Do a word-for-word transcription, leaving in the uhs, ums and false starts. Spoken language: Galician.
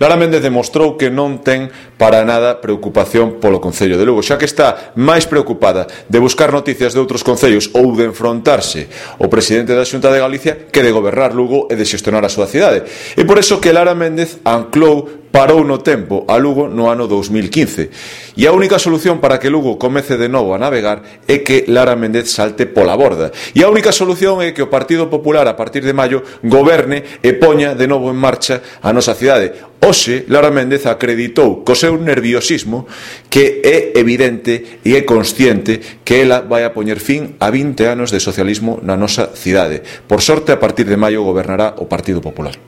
Lara Méndez demostrou que non ten para nada preocupación polo Concello de Lugo, xa que está máis preocupada de buscar noticias de outros concellos ou de enfrontarse ao presidente da Xunta de Galicia que de gobernar Lugo e de xestionar a súa cidade. E por eso que Lara Méndez anclou parou no tempo a Lugo no ano dous mil quince. E a única solución para que Lugo comece de novo a navegar é que Lara Méndez salte pola borda. E a única solución é que o Partido Popular a partir de maio goberne e poña de novo en marcha a nosa cidade. Hoxe, Lara Méndez acreditou co seu nerviosismo que é evidente e é consciente que ela vai a poñer fin a vinte anos de socialismo na nosa cidade. Por sorte, a partir de maio gobernará o Partido Popular.